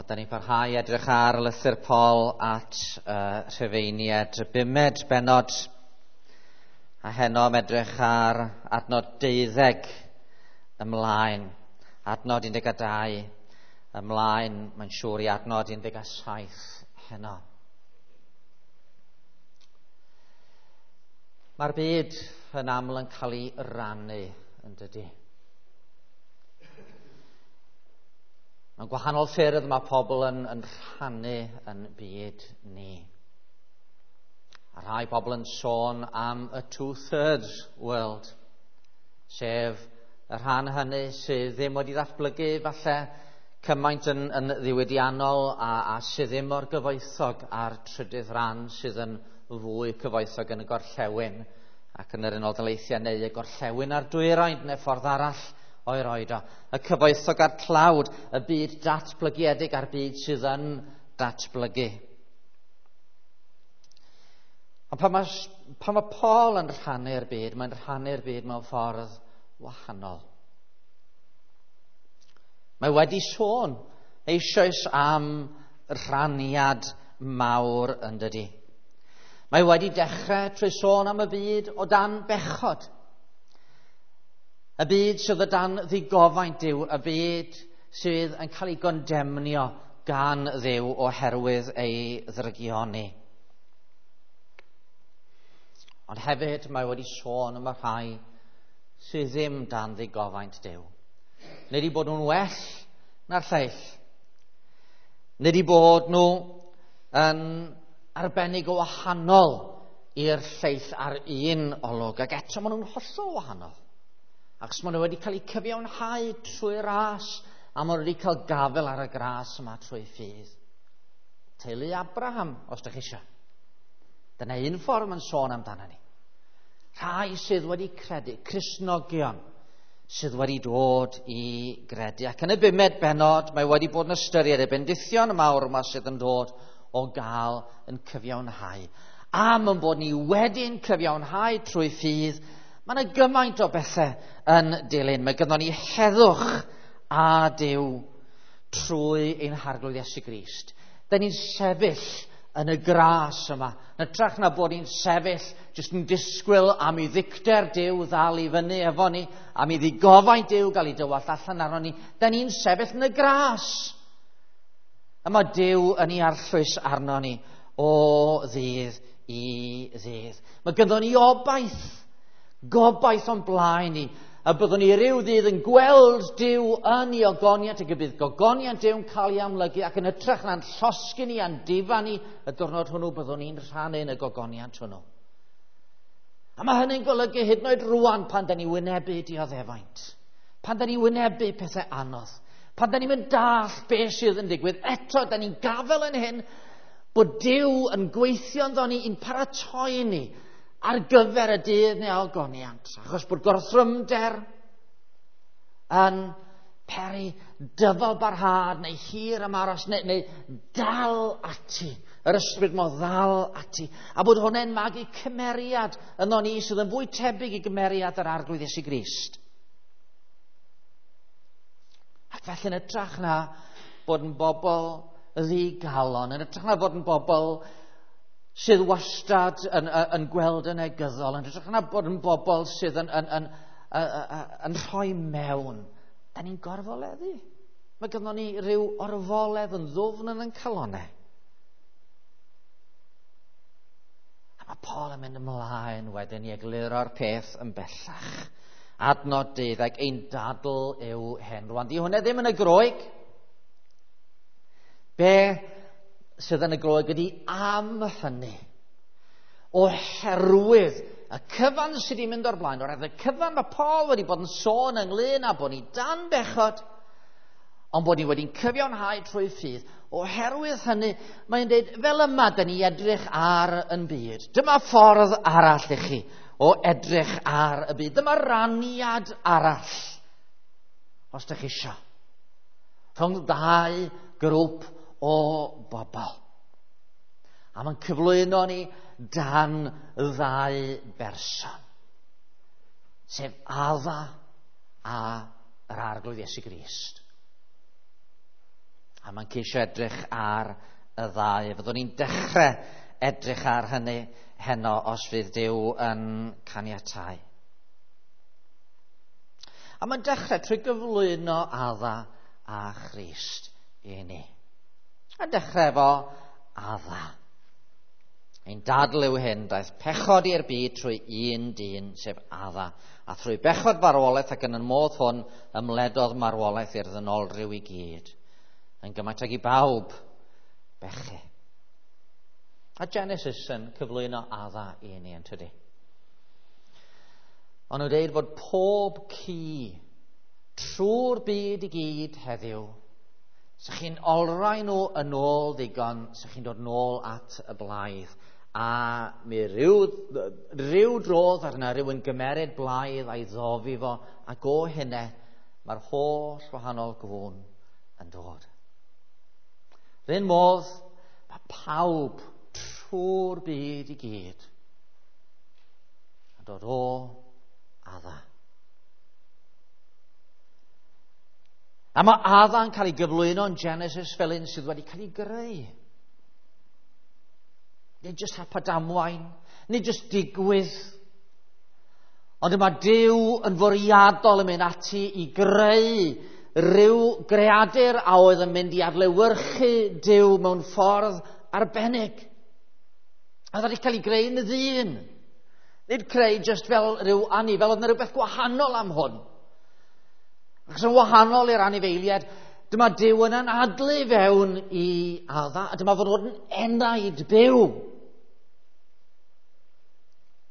Wel, da ni'n parhau edrych ar lythyr Paul at Rhufeiniaid, y bumed bennod, a heno am edrych ar adnod 12 ymlaen, adnod 12 ymlaen, mae'n siŵr i adnod 17 heno. Mae'r byd yn aml yn cael ei rannu, yn dydy. Mewn gwahanol ffyrdd mae pobl yn rhannu yn byd ni. A rhai pobl yn sôn am y two-thirds world, sef y rhan hynny sydd ddim wedi ddatblygu falle cymaint yn ddiwydiannol a sydd ddim mor gyfoethog a'r trydydd rhan sydd yn fwy cyfoethog yn y gorllewin ac yn yr Unol Daleithiau neu y gorllewin a'r dwyrain neu ffordd arall o'i roed o. Y cyfoethog a'r tlawd, y byd datblygiedig a'r byd sydd yn datblygu. Ond pan mae Paul yn rhannu'r byd, mae'n rhannu'r byd mewn ffordd wahanol. Mae wedi sôn eisoes am rhaniad mawr yn dydi. Mae wedi dechrau trwy sôn am y byd o dan bechod. Y byd sydd o dan ddigofaint Duw, y byd sydd yn cael ei gondemnio gan Dduw oherwydd ei ddrygioni. Ond hefyd mae wedi sôn am y rhai sydd ddim dan ddigofaint Duw. Nid i bod nhw'n well na'r lleill. Nid i bod nhw yn arbennig o wahanol i'r lleill ar un olwg, ac eto maen nhw'n hollol wahanol. Achos maen nhw wedi cael eu cyfiawnhau trwy ras, a maen nhw wedi cael gafael ar y gras yma trwy ffydd. Teulu Abraham, os ydych chi eisiau. Dyna un ffordd mae'n sôn amdano ni. Rhai sydd wedi credu, Cristnogion, sydd wedi dod i gredu. Ac yn y bumed bennod, mae wedi bod yn ystyried y bendithion mawr yma sydd yn dod o gael yn cyfiawnhau. Am yn bod ni wedi'n cyfiawnhau trwy ffydd, mae yna gymaint o bethau yn dilyn. Mae gynnon ni heddwch a Duw trwy ein Harglwydd Iesu Grist. Da ni'n sefyll yn y gras yma. Yn hytrach na bod ni'n sefyll jyst yn disgwyl am i ddicter Duw ddal i fyny efo ni, am i ddigofaint Duw gael ei dywallt allan arno ni. Da ni'n sefyll yn y gras. A mae Duw yn ei arllwys arno ni o ddydd i ddydd. Mae gynnon ni obaith, gobaith o'n blaen ni, a byddwn ni ryw ddydd yn gweld Duw yn ei ogoniant, ac y bydd gogoniant Duw yn cael ei amlygu, ac yn hytrach na'n llosgi ni a'n difa ni, y diwrnod hwnnw byddwn ni'n rhannu yn y gogoniant hwnnw. A mae hynny'n golygu hyd yn oed rŵan pan da ni wynebu dioddefaint, pan da ni wynebu pethau anodd, pan da ni'n mynd dall beth sydd yn digwydd, eto da ni'n gafel yn hyn bod Duw yn gweithio ynddo ni i'n paratoi ni ar gyfer y dydd neu ogoniant, achos bod gorthrymder yn peri dyfal barhad neu hir ymaros neu dal ati, yr ysbryd mo ddal ati, a bod hwnna'n magu cymeriad yno ni sydd yn fwy tebyg i gymeriad yr Arglwydd Iesu Grist. Ac felly yn hytrach na bod yn bobl ddigalon, yn hytrach na bod yn bobl sydd wastad yn gweld yn negyddol, yn hytrach na bod yn bobl sydd yn rhoi mewn, da ni'n gorfoleddu. Mae gynnon ni ryw orfoledd yn ddwfn yn ein calonnau. A mae Paul yn mynd ymlaen wedyn i egluro'r peth yn bellach. Adnod 12, ein dadl yw hyn. Rwan, di hwnna ddim yn y Groeg. Be sydd yn y Groeg ydy am hynny. Oherwydd y cyfan sydd wedi mynd o'r blaen, oherwydd y cyfan mae Paul wedi bod yn sôn ynglyn â bod ni dan bechod, ond bod ni wedi'n cyfiawnhau trwy ffydd. Oherwydd hynny, mae'n dweud, fel yma dyn ni edrych ar yn byd. Dyma ffordd arall i chi o edrych ar y byd. Dyma raniad arall, os ydych chi isio, rhwng ddau grŵp o bobl. A mae'n cyflwyno ni dan ddau berson, sef Adda a yr Arglwydd Iesu Grist. A mae'n ceisio edrych ar y ddau. Fyddwn ni'n dechrau edrych ar hynny heno os fydd Duw yn caniatáu. A mae'n dechrau trwy gyflwyno Adda a Christ i ni. A dechrau efo Adda. Ein dadl yw hyn, daeth pechod i'r byd trwy un dyn, sef Adda. A thrwy bechod farwolaeth ac yn y modd hwn ymledodd marwolaeth i'r ddynolryw i gyd. Yn gymaint ag i bawb bechu. A Genesis yn cyflwyno Adda i ni yn tydi. Ond nhw'n dweud bod pob ci trwy'r byd i gyd heddiw, sa chi'n olrhain nhw yn ôl ddigon, sa chi'n dod nôl at y blaidd. A mi ryw drodd arna rhywun gymeryd blaidd a'i ddofi fo, ac o hynny mae'r holl wahanol gŵn yn dod. R'un modd, mae pawb trwy'r byd i gyd yn dod o Adda. A mae Adda'n cael ei gyflwyno yn Genesis fel un sydd wedi cael ei greu. Nid jyst hap a damwain, nid jyst digwydd. Ond mae Duw yn fwriadol yn mynd ati i greu rhyw greadur a oedd yn mynd i adlewyrchu Duw mewn ffordd arbennig. A oedd wedi cael ei greu yn ddyn. Nid creu jyst fel rhyw anifel, oedd yna rhywbeth gwahanol am hwn. Achos yn wahanol i'r anifeiliaid, dyma Duw yn anadlu fewn i Adda, a dyma fod yn enaid byw.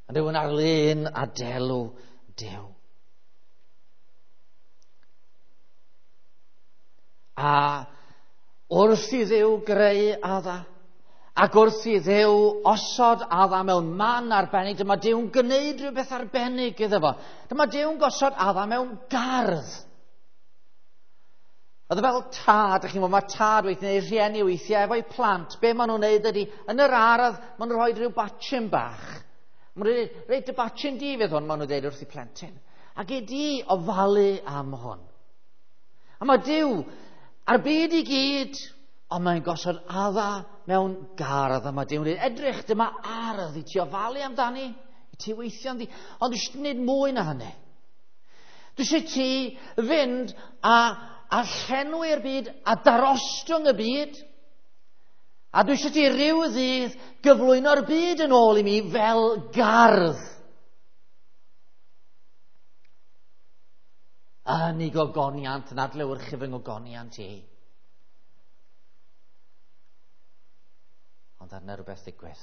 A rhywun ar lun a delw Duw. A wrth i Dduw greu Adda, ac wrth i Dduw osod Adda mewn man arbennig, dyma Duw'n gwneud rhywbeth arbennig iddo fo. Dyma Duw'n gosod Adda mewn gardd. Oedd e fel tad, ych chi'n gwybod, mae tad weithiau neu rhieni weithiau efo'i plant. Be maen nhw'n neud ydy, yn yr ardd, maen nhw'n rhoi rhyw batchyn bach. Maen nhw'n dweud, reit, dy batchyn di fydd hwn, maen nhw'n dweud wrth i plentyn. Ac i di ofalu am hwn. A mae Duw a'r byd i gyd, ond mae'n gosod Adda mewn gardd. A mae Duw'n dweud, edrych, dyma ardd i ti ofalu amdani, i ti weithio ynddi. Ond dwi eisiau gwneud mwy na hynny. Dwi eisiau ti fynd a llenwi'r byd a darostwng y byd. A dwi eisiau ti ryw ddydd gyflwyno'r byd yn ôl i mi fel gardd. Yn ei gogoniant, yn adlewyrchu fy ngogoniant i. Ond arna rhywbeth ddigwydd.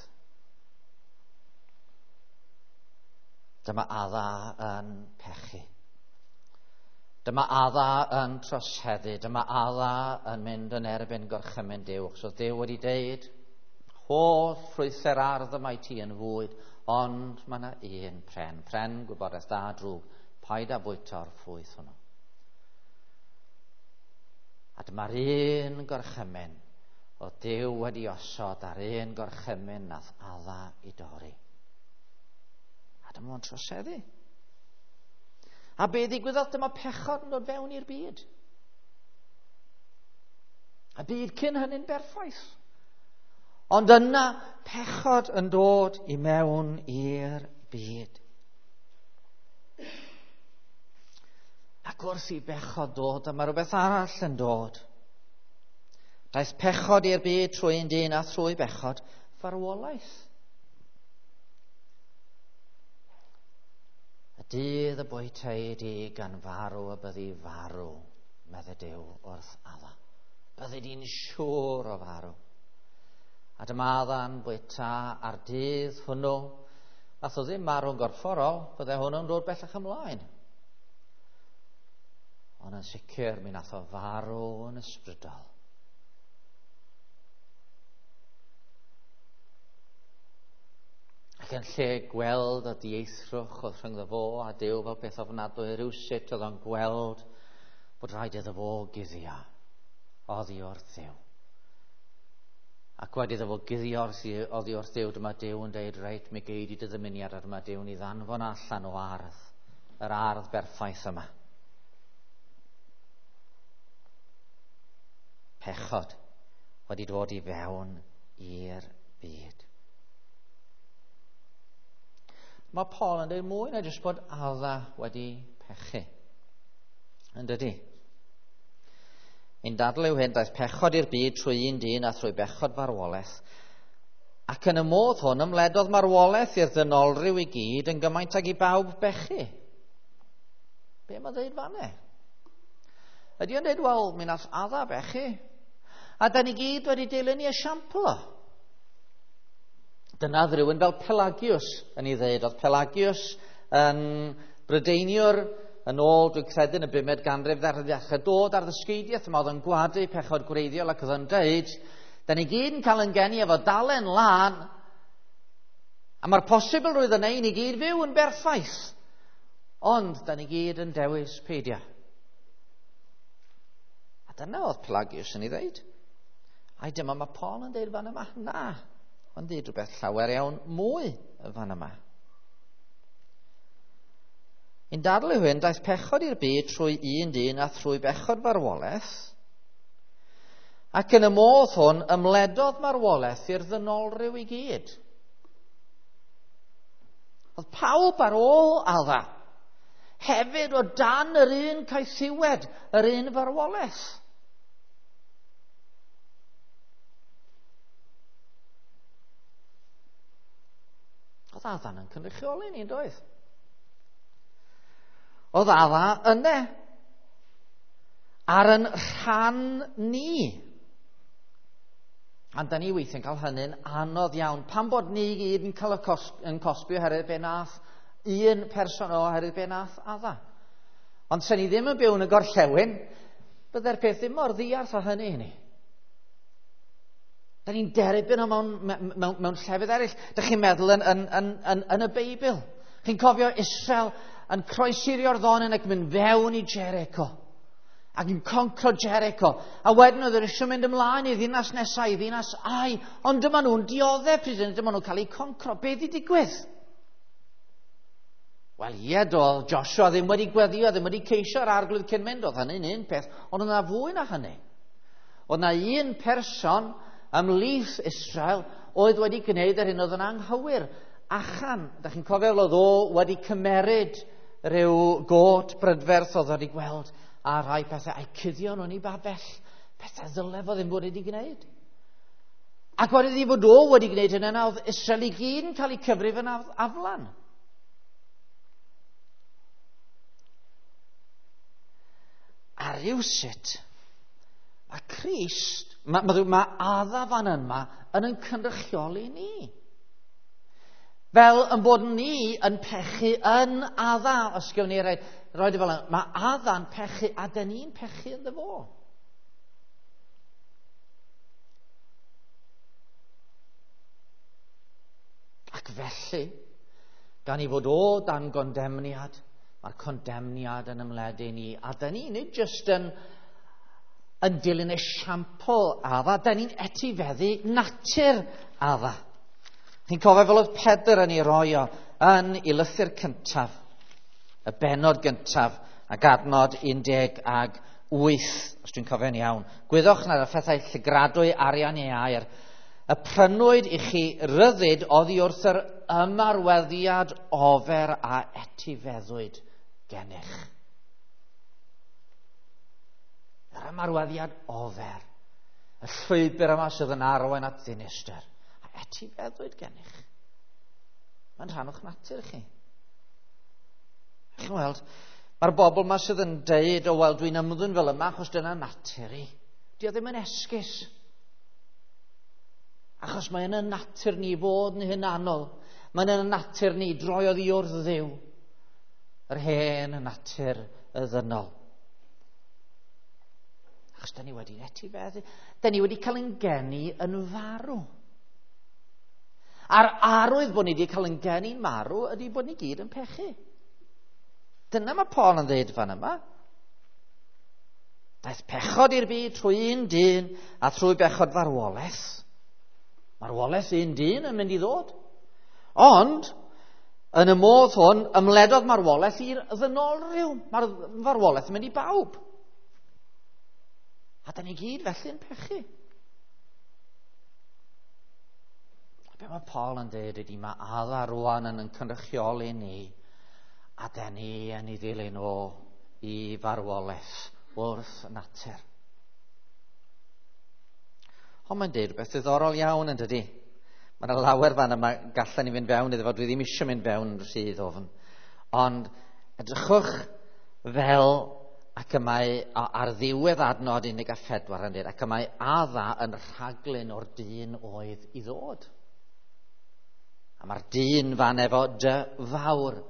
Dyma Adda yn pechu. Dyma Adda yn troseddu. Dyma Adda yn mynd yn erbyn gorchymyn Duw. Achos oedd Duw wedi deud, holl ffrwythau'r ardd yma i ti yn fwyd, ond mae yna un pren. Pren gwybodaeth da drwg. Paid â bwyta'r ffrwyth hwnnw. A dyma'r un gorchymyn oedd Duw wedi osod a'r un gorchymyn nath Adda i dorri. A dyma fo'n troseddu. A be ddigwyddodd? Dyma pechod yn dod fewn i'r byd. A byd cyn hynny'n berffaith. Ond yna pechod yn dod i mewn i'r byd. Ac wrth i bechod dod, dyma rhywbeth arall yn dod. Daeth pechod i'r byd trwy un dyn a thrwy bechod farwolaeth. Y dydd y bwytei di gan farw y byddi farw, medde Duw wrth Adda. Byddi di'n siŵr o farw. A dyma Adda'n bwyta ar dydd hwnnw. Nath o ddim marw'n gorfforol, bydde hwnnw'n dod bellach ymlaen. Ond yn sicr, mi nath o farw yn ysbrydol. Ac yn lle gweld y dieithrwch oedd rhyngddo fo a Duw fel peth ofnadwy, rhywsut oedd o'n gweld bod rhaid iddo fo guddio oddi wrth Dduw. Ac wedi iddo fo guddio oddi wrth Dduw, dyma Duw yn deud, reit, mi gei di dy ddymuniad, a dyma Duw'n ei ddanfon allan o ardd, yr ardd berffaith yma. Pechod wedi dod i fewn i'r byd. Mae Paul yn dweud mwy na jyst bod Adda wedi pechu. Yn dydy? Ein dadl yw hyn, daeth pechod i'r byd trwy un dyn a thrwy bechod farwolaeth. Ac yn y modd hwn ymledodd marwolaeth i'r ddynolryw i gyd yn gymaint ag i bawb bechu. Be mae'n dweud fanne? Ydy o'n dweud, wel, mi nath Adda bechu. A da ni gyd wedi dilyn i esiampl o. Dyna oedd rhywun fel Pelagius yn ei ddeud. Oedd Pelagius yn Brydeiniwr yn ôl, dwi'n credu, yn y bumed ganrif ddechrau dod ar ddysgeidiaeth yma, oedd yn gwadu pechod gwreiddiol ac oedd yn deud, da ni gyd yn cael yn geni efo dalen lân, a mae'r posibilrwydd yna i ni gyd fyw yn berffaith, ond da ni gyd yn dewis peidio. A dyna oedd Pelagius yn ei ddeud. Ai dyma mae Paul yn deud fan yma? Na, mae'n deud rhywbeth llawer iawn mwy fan yma. Ein dadl yw hyn, daeth pechod i'r byd trwy un dyn a thrwy bechod farwolaeth, ac yn y modd hwn ymledodd marwolaeth i'r ddynolryw i gyd. Oedd pawb ar ôl Adda hefyd o dan yr un caethiwed, yr un farwolaeth. Oedd Adda'n yn cynrychioli ni, doedd? Oedd Adda yna ar yn rhan ni. A da ni weithiau'n cael hynny'n anodd iawn. Pam bod ni gyd yn cael y yn cosbi oherwydd be nath un person o oherwydd be nath Adda. Ond sen ni ddim yn byw yn y gorllewin, byddai'r peth ddim mor ddiarth â hynny i ni. Da ni'n derbyn o mewn llefydd eraill. Da chi'n meddwl yn y Beibl. Chi'n cofio Israel yn croesi'r Iorddonen ac mynd fewn i Jericho. Ac yn concro Jericho. A wedyn oedd yr eisiau mynd ymlaen i ddinas nesaf, i ddinas Ai. Ond dyma nhw'n dioddef pryd hynny, dyma nhw'n cael eu concro. Be di digwydd? Wel, ie, doedd Joshua ddim wedi gweddio, ddim wedi ceisio'r arglwydd cyn mynd. Oedd hynny'n un peth, ond oedd yna fwy na hynny. Oedd yna un person ymhlith Israel oedd wedi gwneud yr hyn oedd yn anghywir. Achan, da chi'n cofio fel oedd o wedi cymeryd rhyw got brydferth oedd wedi gweld a rhai pethau, a'i cuddio nhw'n ei babell, pethau ddyle fo ddim bod wedi gwneud. Ac wedi iddi fod o wedi gwneud hynny, yna oedd Israel i gyd yn cael eu cyfrif yn aflan. A rywsut, mae Crist, mae Adda fan yma yn cynrychioli ni. Fel yn bod ni yn pechu yn Adda, os gewn ni roed e fel yna, mae Adda'n pechu a dyn ni'n pechu ynddo fo. Ac felly, gan i fod o dan gondemniad, mae'r condemniad yn ymledu ni, a dyn ni nid jyst yn dilyn esiampl Adda, dyn ni'n etifeddu natur Adda. Chi'n cofio fel oedd Pedr yn ei roi o yn ei lythyr cyntaf, y bennod gyntaf, ac adnod 18, os dwi'n cofio'n iawn. Gwyddwch nad y phethau llygradwy arian ei air, y prynwyd i chi ryddid oddi wrth yr ymarweddiad ofer a etifeddwyd gennych. Yr ymarweddiad ofer, y llwybr yma sydd yn arwain at ddinistr, a etifeddwyd gennych. Mae'n rhan o'ch natur chi. Chi'n weld, mae'r bobl yma sydd yn deud, o wel, dwi'n ymddwyn fel yma achos dyna natur i. Dio ddim yn esgus. Achos mae yn y natur ni fod yn hunanol. Mae'n yn y natur ni droi oddi wrth Dduw. Yr hen natur y ddynol. Achos da ni wedi etifeddu. Da ni wedi cael ein geni yn farw. A'r arwydd bod ni wedi cael ein geni'n marw ydy bod ni gyd yn pechu. Dyna mae Paul yn dweud fan yma. Daeth pechod i'r byd trwy un dyn a trwy bechod farwolaeth. Marwolaeth un dyn yn mynd i ddod. Ond, yn y modd hwn, ymledodd marwolaeth i'r ddynolryw. Mae'r farwolaeth yn mynd i bawb. A da ni gyd felly'n pechu. A be mae Paul yn dweud ydy mae Adda rwan yn cynrychioli ni a da ni yn ei ddilyn o i farwolaeth wrth natur. Ond mae'n dweud rhywbeth ddiddorol iawn yn dydy. Mae yna lawer fan yma gallen ni fynd fewn iddo fo, dwi ddim eisiau mynd fewn rhy ddofn. Ond edrychwch fel ac y mae ar ddiwedd adnod 14 yn dweud, ac y mae Adda yn rhaglun o'r dyn oedd i ddod. A mae'r dyn fan efo dy fawr,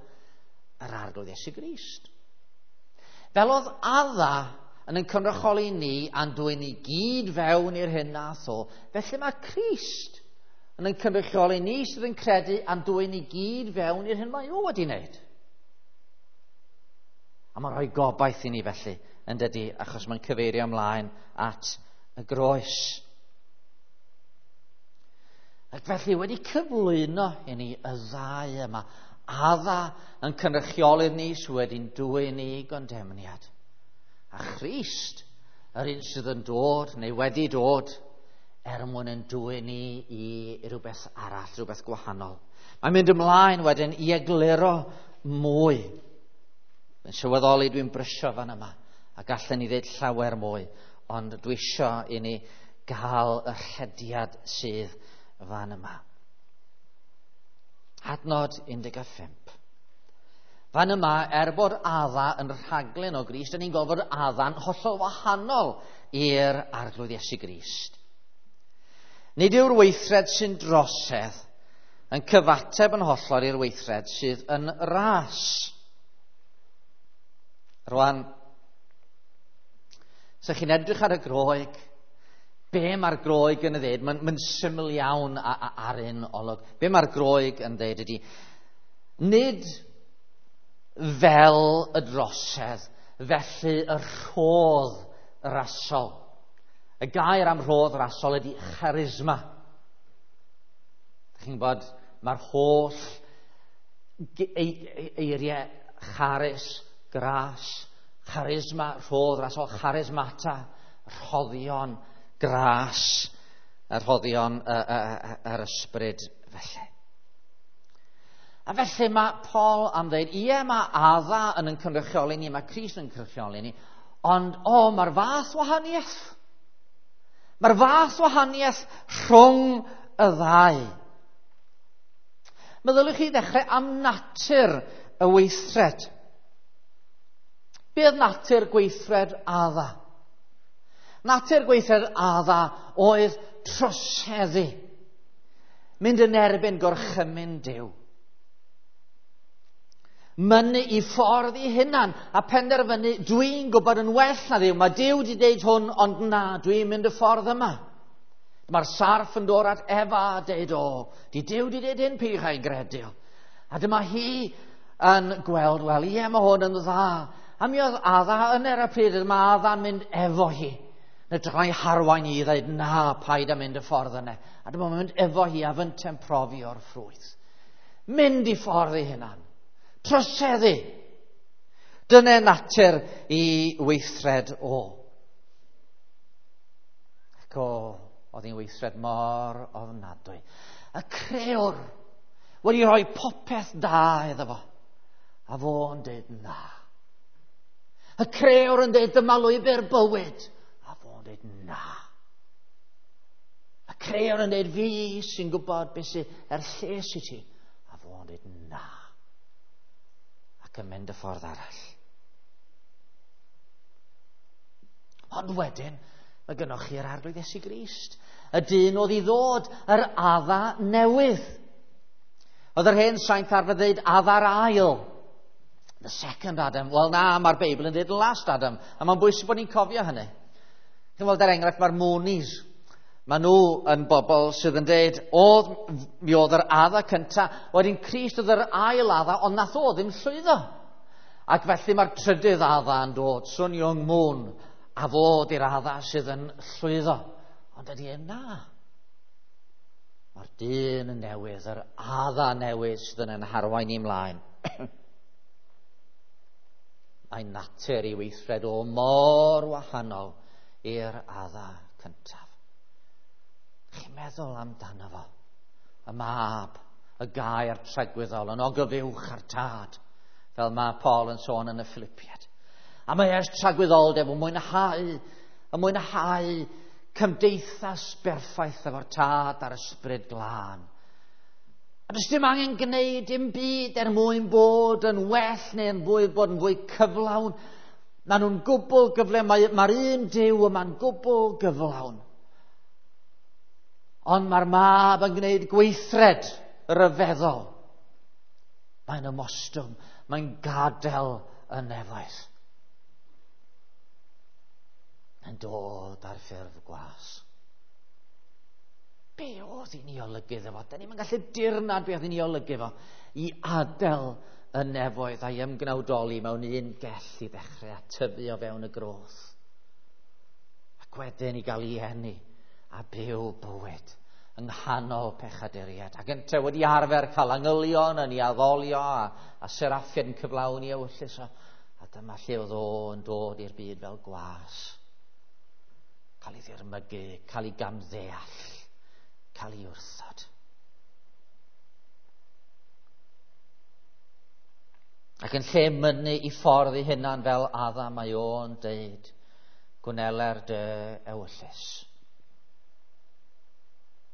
yr Arglwydd Iesu Grist. Fel oedd Adda yn cynrychioli ni a'n dwyn ni gyd fewn i'r hyn nath o, felly mae Crist yn cynrychioli ni sydd yn credu a'n dwyn ni gyd fewn i'r hyn mae o wedi wneud. A mae'n rhoi gobaith i ni felly, yn dydy, achos mae'n cyfeirio ymlaen at y groes. Ac felly wedi cyflwyno i ni y ddau yma, Adda yn cynrychioli'r ni sydd wedi'n dwyn i gondemniad. A Christ, yr un sydd yn dod neu wedi dod, er mwyn yn dwyn ni i rhywbeth arall, rhywbeth gwahanol. Mae'n mynd ymlaen wedyn i egluro mwy. Yn sylweddoli dwi'n brysio fan yma, a gallen ni ddeud llawer mwy, ond dwi isio i ni gael y rhediad sydd fan yma. Adnod 15. Fan yma, er bod Adda yn rhaglen o Grist, dyn ni'n gweld bod Adda'n hollol wahanol i'r Arglwydd Iesu Grist. Nid yw'r weithred sy'n drosedd yn cyfateb yn hollol i'r weithred sydd yn ras. Rwan, so chi'n edrych ar y Groeg, be mae'r Groeg yn ei ddeud? Mae'n syml iawn ar un olwg. Be mae'r Groeg yn ddeud ydy, nid fel y drosedd, felly y rhodd rasol. Y gair am rhodd rasol ydy charisma. Chi'n gwybod, mae'r holl eiriau charis, gras, charisma, rhodd rasol, charismata, rhoddion, gras, y rhoddion yr ysbryd felly. A felly mae Paul am ddeud, ie, mae Adda yn cynrychioli ni, mae Crist yn cynrychioli ni, ond o, mae'r fath wahaniaeth. Mae'r fath wahaniaeth rhwng y ddau. Meddyliwch chi ddechrau am natur y weithred. Be oedd natur gweithred Adda? Natur gweithred Adda oedd troseddu. Mynd yn erbyn gorchymyn Duw. Mynnu i ffordd i hunan a penderfynu, dwi'n gwybod yn well na Dduw. Mae Duw wedi deud hwn, ond na, dwi'n mynd y ffordd yma. Mae'r sarff yn dod at Efa a deud, o, di Duw wedi deud hyn, peidiwch â'i gredu. A dyma hi yn gweld, wel, ie, mae hwn yn dda. A mi oedd Adda yn er y pryd, mae Adda'n mynd efo hi. Yn edrych ei harwain i ddeud, na, paid â mynd y ffordd yna. A dyma mynd efo hi a fynte'n profi o'r ffrwyth. Mynd i ffordd ei hunan. Troseddu. Dyna natur i weithred o. Ac o, oedd hi'n weithred mor ofnadwy. Y crëwr wedi rhoi popeth da iddo fo. A fo'n dweud na. Y crëwr yn dweud dyma lwybr bywyd. A fo'n dweud na. Y crëwr yn dweud fi sy'n gwybod beth sydd er lles i ti. A fo'n dweud na. Ac yn mynd y ffordd arall. Ond wedyn, mae gynnoch chi'r Arglwydd Iesu Grist. Y dyn oedd i ddod, yr Adda newydd. Oedd yr hen saint arfer dweud Adda'r ail. The second Adam. Wel na, mae'r Beibl yn dweud the last Adam. A mae'n bwysig bod ni'n cofio hynny. Chi'n gweld, er enghraifft, mae'r Moonies. Mae nhw yn bobl sydd yn dweud, mi oedd yr Adda cynta, wedyn Crist oedd yr ail Adda, ond nath o ddim llwyddo. Ac felly mae'r trydydd Adda yn dod, Sun Myung Moon, a fod i'r Adda sydd yn llwyddo. Ond ydy e na. Mae'r dyn yn newydd, yr Adda newydd sydd yn harwain i mlaen. Mae natur i weithred o mor wahanol i'r Adda cyntaf. Chi'n meddwl amdano fo? Y mab, y gair tragwyddol, yn ogyfuwch ar tad, fel mae Paul yn sôn yn y Philippiad. A mae ers tragwyddoldeb yn mwynhau cymdeithas berffaith efo'r tad a'r ysbryd glân. A does dim angen gwneud dim byd er mwyn bod yn well neu yn fwy, bod yn fwy cyflawn. Maen nhw'n gwbl gyflawn. Mae'r un Duw yma'n gwbl gyflawn. Ond mae'r mab yn gwneud gweithred ryfeddol. Mae'n ymostwng, mae'n gadael y nefoedd. Mae'n dod ar ffurf gwas. Be oedd hi'n ei olygu iddo fo? Da ni'n gallu dirnad be oedd hi'n ei olygu fo i adael y nefoedd a'i ymgnawdoli mewn un gell i ddechrau a tyfu o fewn y groth. Ac wedyn i gael ei eni a byw bywyd yng nghanol pechaduriaid. Ac yntau wedi arfer cael angylion yn ei addolio a seraffiad yn cyflawni ewyllys o. A dyma lle oedd o yn dod i'r byd fel gwas. Cael ei ddirmygu, cael ei gamddeall, cael ei wrthod. Ac yn lle mynnu i ffordd ei hunan fel Adda, mae o'n deud, gwneler dy ewyllys.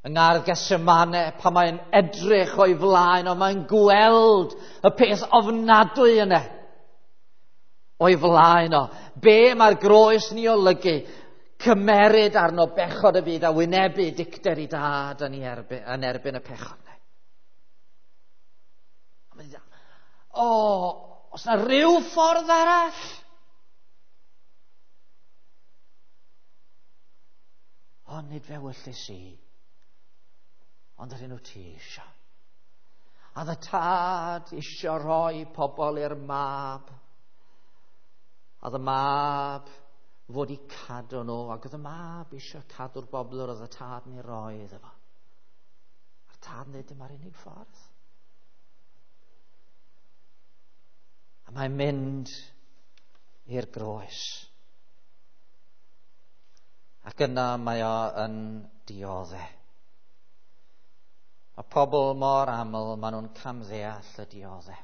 Yng ngardd Gethsemane, pan mae'n edrych o'i flaen, ond mae'n gweld y peth ofnadwy yna o'i flaen o. Be mae'r groes ni olygu? Cymeryd arno bechod y byd a wynebu dicter i dad yn erbyn y pechod. O, os na rhyw ffordd arall? O, nid fe wyllys i, ond yr un wyt ti eisiau. A ddy tad eisiau rhoi pobl i'r mab. A ddy mab fod i cadw nhw, ac oedd y mab eisiau cadw'r bobl oedd y tad yn ei roi iddo fo. A'r tad yn dweud, dyma'r unig ffordd. A mae'n mynd i'r groes. Ac yna mae o yn diodde. Mae pobl mor aml, maen nhw'n camddeall y diodde.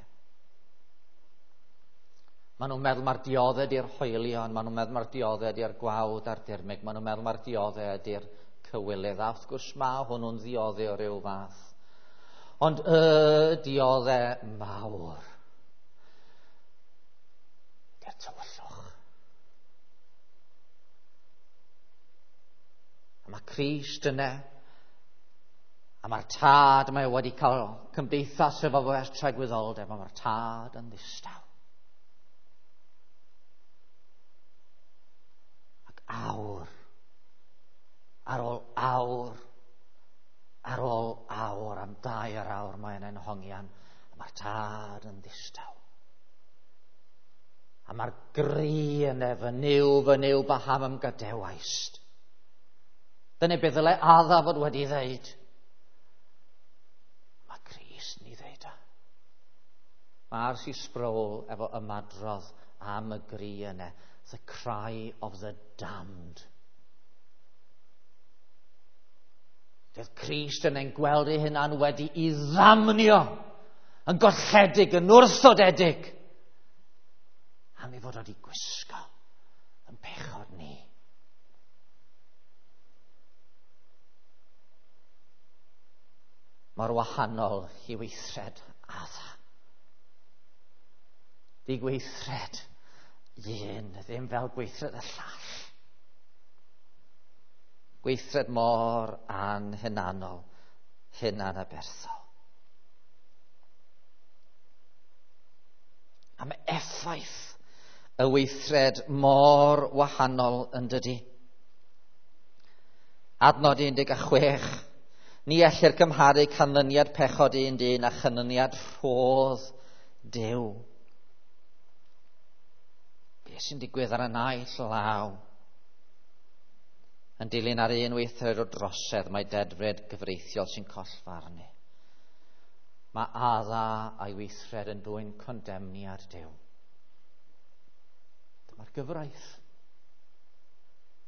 Maen nhw'n meddwl mae'r diodde di'r hoelion, maen nhw'n meddwl mae'r diodde di'r gwawd a'r dirmyg, maen nhw'n meddwl mae'r diodde di'r cywilydd. A wrth gwrs mae hwnnw'n ddiodde o ryw fath. Ond y diodde mawr di'r tywyllwch. A mae Crist yna, a mae'r tad mae wedi cael cymdeithas efo fo ers tragwyddoldeb, a mae'r tad yn ddistaw. Ac awr, ar ôl awr, ar ôl awr, am 2 awr mae'n hongian, a mae'r tad yn ddistaw. A mae'r gri yna, fy Nuw, baham ym gadewaist. Dyna beth ddylai Adda fod wedi ddeud. Mae Crist yn ei ddeud o. Mae R.C. Sproul efo ymadrodd am y gri yna. The cry of the damned. Doedd Crist yn ein gweld ei hunan wedi i ddamnio, yn golledig, yn wrthodedig, am ei fod wedi gwisgo yn pechod ni. Mor wahanol i weithred Adda. Di gweithred un, ddim fel gweithred y llall. Gweithred mor anhunanol, hunanaberthol. A mae effaith y weithred mor wahanol yn dydy. Adnod 16. Ni ellir cymharu canlyniad pechod un dyn a chanlyniad rhodd Duw. Be sy'n digwydd ar y naill law? Yn dilyn ar un weithred o drosedd, mae dedfryd gyfreithiol sy'n collfarnu. Mae Adda a'i weithred yn dwyn condemniad Duw. Dyma'r gyfraith.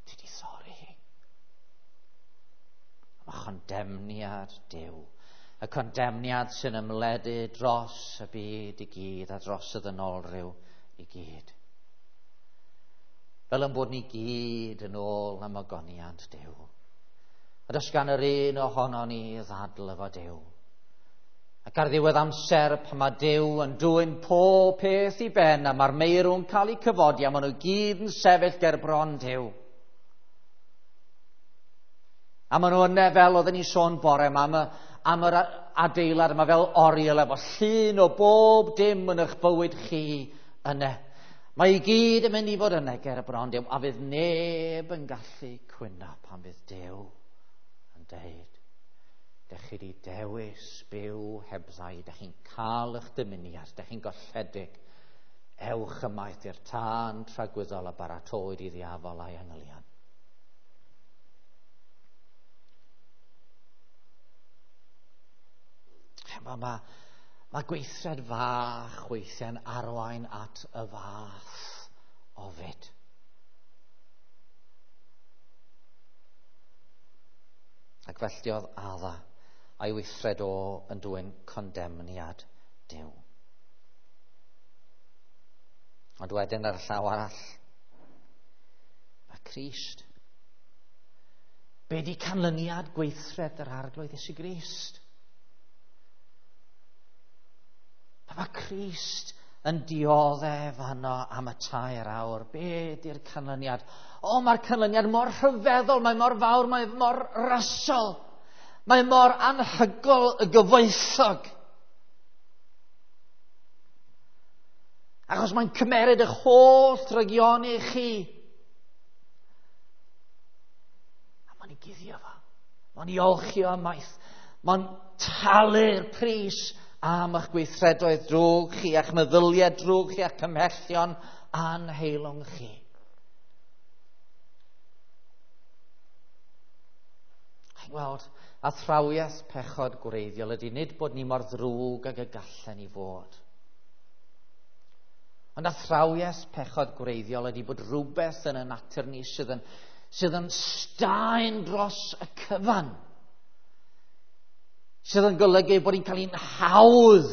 Ti di chondemniad Duw. Y condemniad sy'n ymledu dros y byd i gyd a dros y ddynolryw i gyd. Fel yn bod ni gyd yn ôl am ogoniant Duw. A does gan yr un ohono ni ddadl efo Duw. Ac ar ddiwedd amser, pan mae Duw yn dwyn pob peth i ben a mae'r meirw'n cael eu cyfodi a maen nhw gyd yn sefyll ger bron Duw. A maen nhw yna fel oedden ni sôn bore yma am yr adeilad yma fel oriel efo llun o bob dim yn eich bywyd chi yna. Mae i gyd yn mynd i fod yna ger y bron Duw, a fydd neb yn gallu cwyno pan fydd Duw yn deud, dech chi wedi dewis byw hebddau, dech chi'n cael eich dymuniad, dech chi'n golledig. Ewch ymaith i'r tân tragwyddol a baratowyd i ddiafol a'i angylion. Mae gweithred fach weithiau'n arwain at y fath ofid. Ac felly oedd Adda a'i weithred o yn dwyn condemniad Duw. Ond wedyn ar y llaw arall, mae Crist. Be di canlyniad gweithred yr Arglwydd Iesu Grist? Mae Crist yn dioddef yno am y 3 awr. Be di'r canlyniad? O, mae'r canlyniad mor rhyfeddol, mae mor fawr, mae mor rasol. Mae mor anhygol y gyfoethog. Achos mae'n cymeryd eich holl drygioni chi. A mae'n ei guddio fo. Mae'n ei olchi o ymaith. Mae'n talu'r pris am eich gweithredoedd drwg chi, a'ch meddyliau drwg chi, a'ch cymhellion anheilwng chi. Chi'n gweld, athrawiaeth pechod gwreiddiol ydy nid bod ni mor ddrwg ag y gallen ni fod. Ond athrawiaeth pechod gwreiddiol ydy bod rhywbeth yn y natur ni sydd yn staen dros y cyfan. Sydd yn golygu bod ni'n cael ein hawdd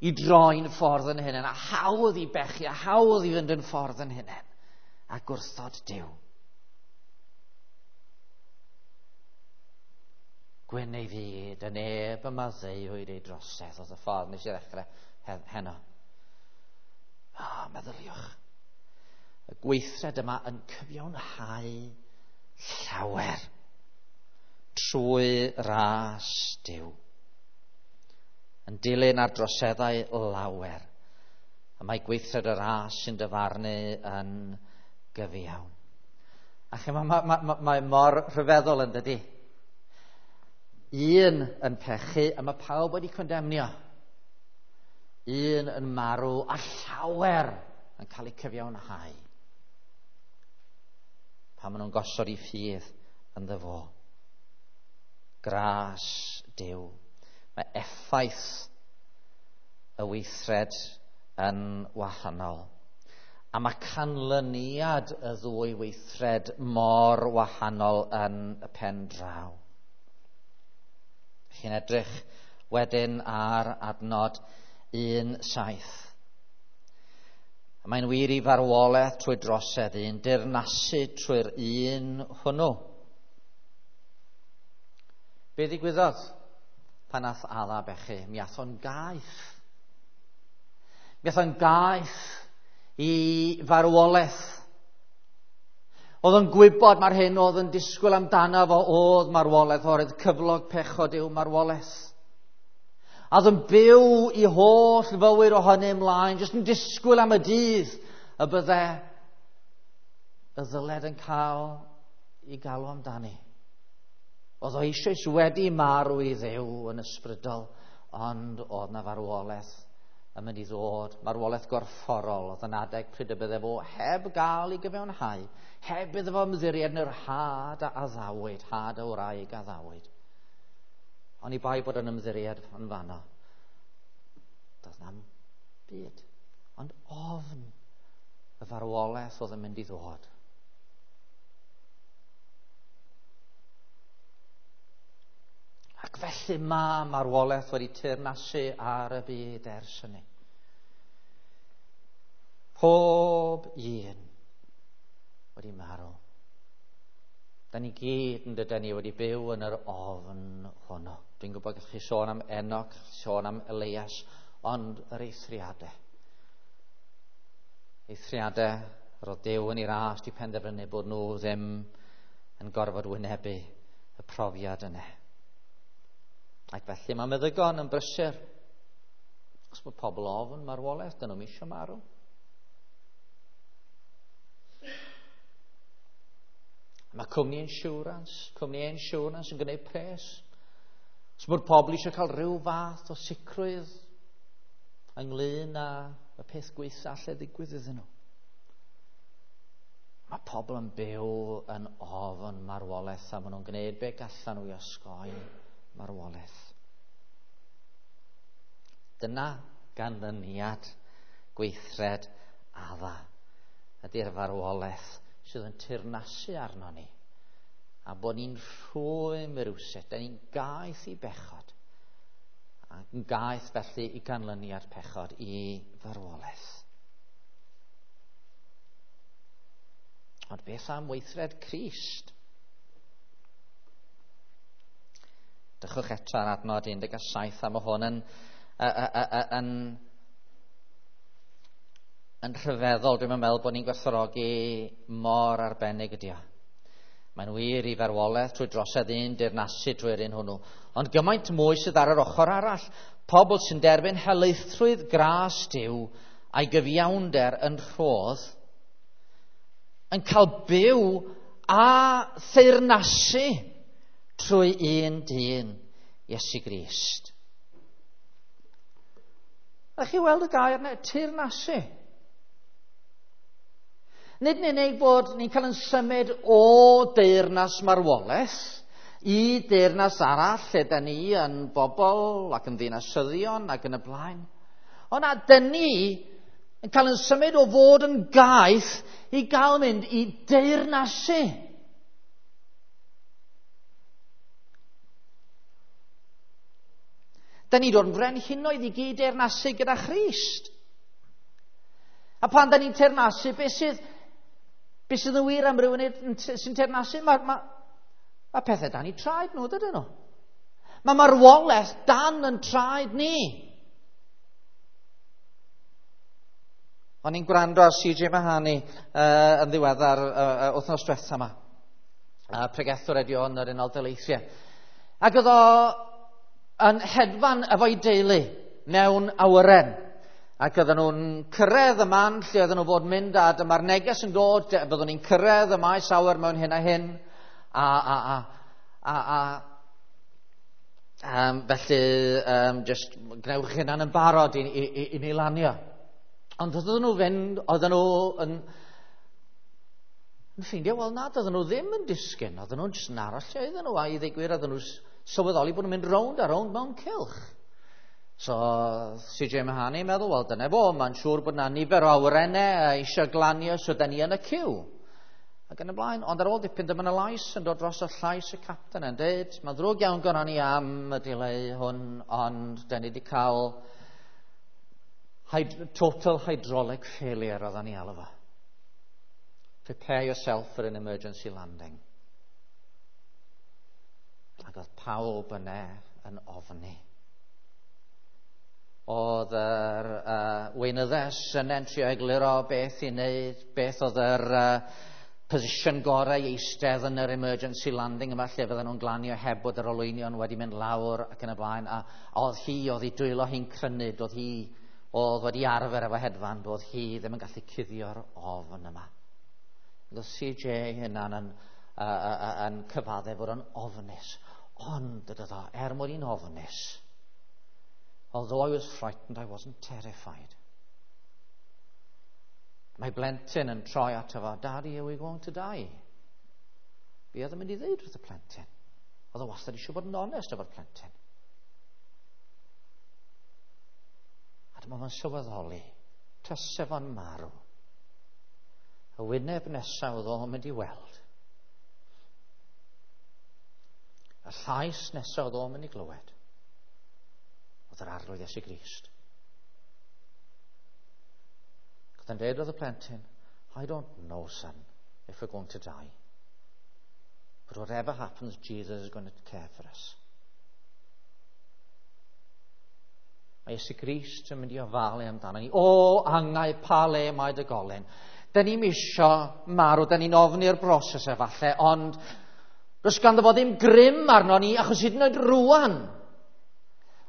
i droi'n ffordd yn hunain, a hawdd i bechu, a hawdd i fynd yn ffordd yn hunain, a gwrthod Duw. Gwyn ei fyd, y neb y maddeuwyd ei drosedd, oedd y ffordd nes i ddechrau heno. Meddyliwch. Y gweithred yma yn cyfiawnhau llawer trwy ras Duw. Yn dilyn ar droseddau lawer. A mae gweithred y ras sy'n dyfarnu yn gyfiawn. A chi, mae mor rhyfeddol yn dydi. Un yn pechu a mae pawb wedi condemnio. Un yn marw a llawer yn cael eu cyfiawnhau. Pan maen nhw'n gosod eu ffydd ynddo fo. Gras Duw. Mae effaith y weithred yn wahanol. A mae canlyniad y ddwy weithred mor wahanol yn y pen draw. Chi'n edrych wedyn ar adnod 1:7. Mae'n wir i farwolaeth trwy drosedd un, dirnasu trwy'r un hwnnw. Be ddigwyddodd pan nath Adda bechu? Mi ath o'n gaeth. Mi ath o'n gaeth i farwolaeth. Oedd o'n gwybod mae'r hyn oedd yn disgwyl amdano fo oedd marwolaeth, oherwydd cyflog pechod yw marwolaeth. A oedd yn byw i holl fywyd o hynny ymlaen, jyst yn disgwyl am y dydd y bydde y ddyled yn cael ei galw amdani. Oedd o eisoes wedi marw i Dduw yn ysbrydol, ond oedd na farwolaeth yn mynd i ddod, marwolaeth gorfforol, oedd yn adeg pryd y bydde fo heb gael ei gyfiawnhau, heb iddo fo ymddiried yn yr had a addawyd, had y wraig a addawyd. Ond i bai bod yn ymddiried yn fanno, doedd na'm byd, ond ofn y farwolaeth oedd yn mynd i ddod. felly mae marwolaeth wedi teyrnasu ar y byd ers hynny. Pob un wedi marw. Da ni gyd yn dydyn ni wedi byw yn yr ofn hwnnw. Dwi'n gwybod gallwch chi sôn am Enoch, sôn am Elias, ond yr eithriadau. Eithriadau yr oedd Duw yn ei ras di penderfynu bod nhw ddim yn gorfod wynebu y profiad yna. Ac felly mae meddygon yn brysur. Os bod pobl ofn marwolaeth, dyn nhw'n eisiau marw. Mae cwmni insurance yn gwneud pres. Os bod pobl eisiau cael rhyw fath o sicrwydd ynglyn â y peth gwaetha alle ddigwydd iddyn nhw. Mae pobl yn byw yn ofn marwolaeth a maen nhw'n gwneud be gallan nhw i osgoi marwolaeth. Dyna ganlyniad gweithred Adda ydy'r farwolaeth sydd yn teyrnasu arno ni. A bod ni'n rhwym rywsut, da ni'n gaeth i bechod. Ac yn gaeth felly i ganlyniad pechod, i farwolaeth. Ond beth am weithred Crist? Dychwch eto ar adnod 17 a mae hwn yn rhyfeddol. Dwi'n meddwl bod ni'n gwerthfawrogi mor arbennig ydi o. Mae'n wir i farwolaeth trwy drosedd un deyrnasu trwy'r un hwnnw. Ond gymaint mwy sydd ar yr ochr arall. Pobl sy'n derbyn helaethrwydd gras Duw a'i gyfiawnder yn rhodd yn cael byw a theyrnasu trwy un dyn, Iesu Grist. A chi weld y gair yna, teyrnasu. Nid yn unig bod ni'n cael yn symud o deyrnas marwolaeth i deyrnas arall lle da ni yn bobl ac yn ddinasyddion ac yn y blaen. Ond na, dyn ni yn cael yn symud o fod yn gaeth i gael mynd i deyrnasu. Da ni dod yn frenhinoedd i gyd deyrnasu gyda Christ. A pan da ni'n teyrnasu, beth sydd yn wir am rhywun sy'n teyrnasu? Mae pethau dan eu traed nhw, dydyn nhw. Mae marwolaeth dan yn traed ni. O'n i'n gwrando ar C.J. Mahani yn ddiweddar wythnos diwetha yma. Pregethwr ydi o yn yr Unol Daleithiau. Ac oedd o yn hedfan efo'i deulu mewn awyren. Ac oedden nhw'n cyrraedd y man lle oedden nhw fod mynd, a dyma'r neges yn dod, byddwn ni'n cyrraedd y maes awyr mewn hyn a hyn. Felly, just gwnewch hynna'n yn barod i ni lanio. Ond oedden nhw fynd, oedden nhw yn ffeindio, wel na, oedden nhw ddim yn disgyn, oedden nhw'n jyst yn aros lle oedden nhw, a i ddweud gwir, oedden nhw'n sylweddoli bod nhw'n mynd rownd a rownd mewn cylch. So C.J. Mahani meddwl, wel dyna fo, mae'n siŵr bod yna nifer o awyrennau eisiau glanio, so da ni yn y ciw. Ac yn y blaen, ond ar ôl dipyn dyma yna lais yn dod dros o llais y capten yn dweud, mae'n ddrwg iawn gynnon ni am y delay hwn, ond da ni wedi cael total hydraulic failure oedden ni alw fo. Prepare yourself for an emergency landing. Ac oedd pawb yna yn ofni. Oedd yr weinyddes yn trio egluro beth i wneud, beth oedd yr position gorau i eistedd yn yr emergency landing yma lle fydden nhw'n glanio heb bod yr olwynion wedi mynd lawr ac yn y blaen. A oedd hi, oedd hi dwylo hi'n crynu, oedd hi oedd wedi arfer efo hedfan, oedd hi ddim yn gallu cuddio'r ofn yma. Oedd C.J. hynna'n yn cyfaddef fod yn ofnus. Ond, dydy o, er mod i'n ofnus, although I was frightened, I wasn't terrified. Mae blentyn yn troi ato fo, Daddy, are we going to die? Be oedd yn mynd i ddeud wrth y plentyn? Oedd o wastad eisiau bod yn onest efo'r plentyn. A dyma fo'n sylweddoli, tase fo'n marw. Y wyneb nesaf oedd o'n mynd i weld. Y llais nesaf oedd o'n mynd i glywed oedd yr Arglwydd Iesu Grist. Oedd yn dweud wrth y plentyn, "I don't know, son, if we're going to die. But whatever happens, Jesus is going to care for us." Mae Iesu Grist yn mynd i ofalu amdano ni. O, angau, pa le mae dy golyn? Da ni'n isio marw, da ni'n ofni'r broses efallai, ond does ganddo fo ddim grym arno ni, achos hyd yn oed rwan,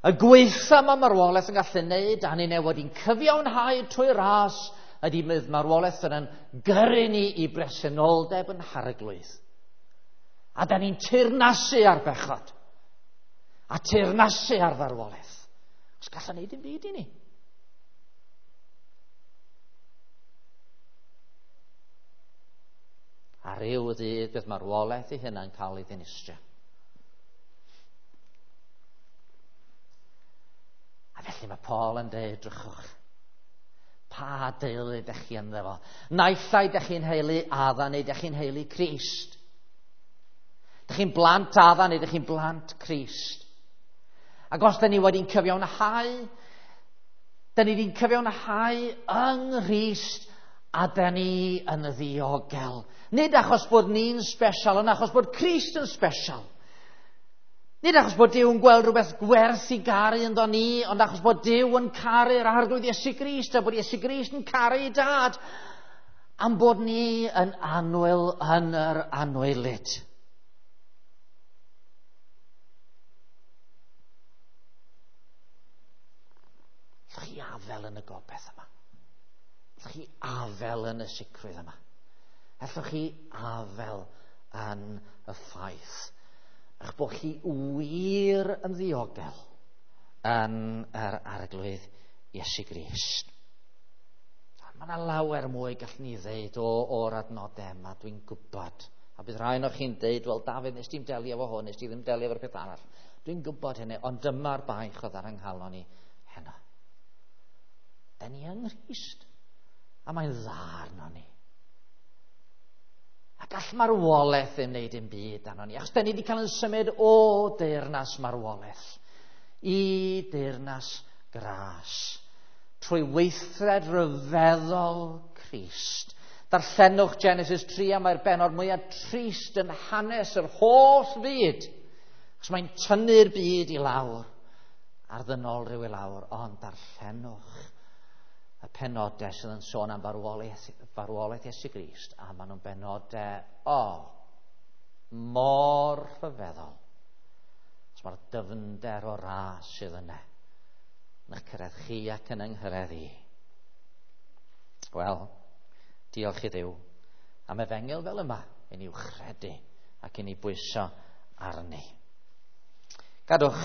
y gweitha mae marwolaeth yn gallu wneud, a ni'n wedi'n cyfiawnhau trwy ras, ydy bydd marwolaeth yn gyrru ni i bresenoldeb yn Harglwydd. A da ni'n teyrnasu ar bechod. A teyrnasu ar farwolaeth. Os gallwn wneud dim byd i ni. A ryw ddydd bydd marwolaeth ei hunan cael ei ddinistrio. A felly mae Paul yn dweud, drychwch, pa deulu ydych chi ynddo fo? Naill ai ydych chi'n heulu Adda neu ydych chi'n heulu Crist. Ydych chi'n blant Adda neu ydych chi'n blant Crist. Ac os da ni wedi'n cyfiawnhau, da ni wedi'n cyfiawnhau yng Nghrist a da ni yn ddiogel. Nid achos bod ni'n special, ond achos bod Crist yn special. Nid achos bod Duw yn gweld rhywbeth gwerth i garu ynddo ni, ond achos bod Duw yn caru'r Arglwydd Iesu Grist, a bod Iesu Grist yn caru ei dad, am bod ni yn annwyl yn yr anwylyd. Allwch chi afel yn y gobaith yma? Allwch chi afel yn y sicrwydd yma? Allwch chi afel yn y ffaith eich bod chi wir yn ddiogel yn yr Arglwydd Iesu Grist? Mae yna lawer mwy gallwn ni ddeud o'r adnodau yma, dwi'n gwybod. A bydd rhai ohonoch chi'n deud, wel Dafydd, nes ti'n delio efo hwn, nes ti ddim delio efo'r peth arall. Dwi'n gwybod hynny, ond dyma'r baich oedd ar yng nghalon i heno. Da ni yng Nghrist, a mae'n dda arno ni. A gall marwolaeth ddim wneud dim byd arno ni, achos da ni wedi cael yn symud o deyrnas marwolaeth i deyrnas gras, trwy weithred ryfeddol Crist. Darllenwch Genesis 3, a mae'r bennod mwyaf trist yn hanes yr holl fyd, achos mae'n tynnu'r byd i lawr, a'r ddynol rhyw i lawr, ond darllenwch y penodau sydd yn sôn am farwolaeth Iesu Grist, a maen nhw'n benodau, mor rhyfeddol. Os mae'r dyfnder o ras sydd yna, yn eich cyrraedd chi ac yn yng nghyrraedd i. Wel, diolch i Dduw am efengyl fel yma, i ni wchredu ac i ni bwyso arni. Gadwch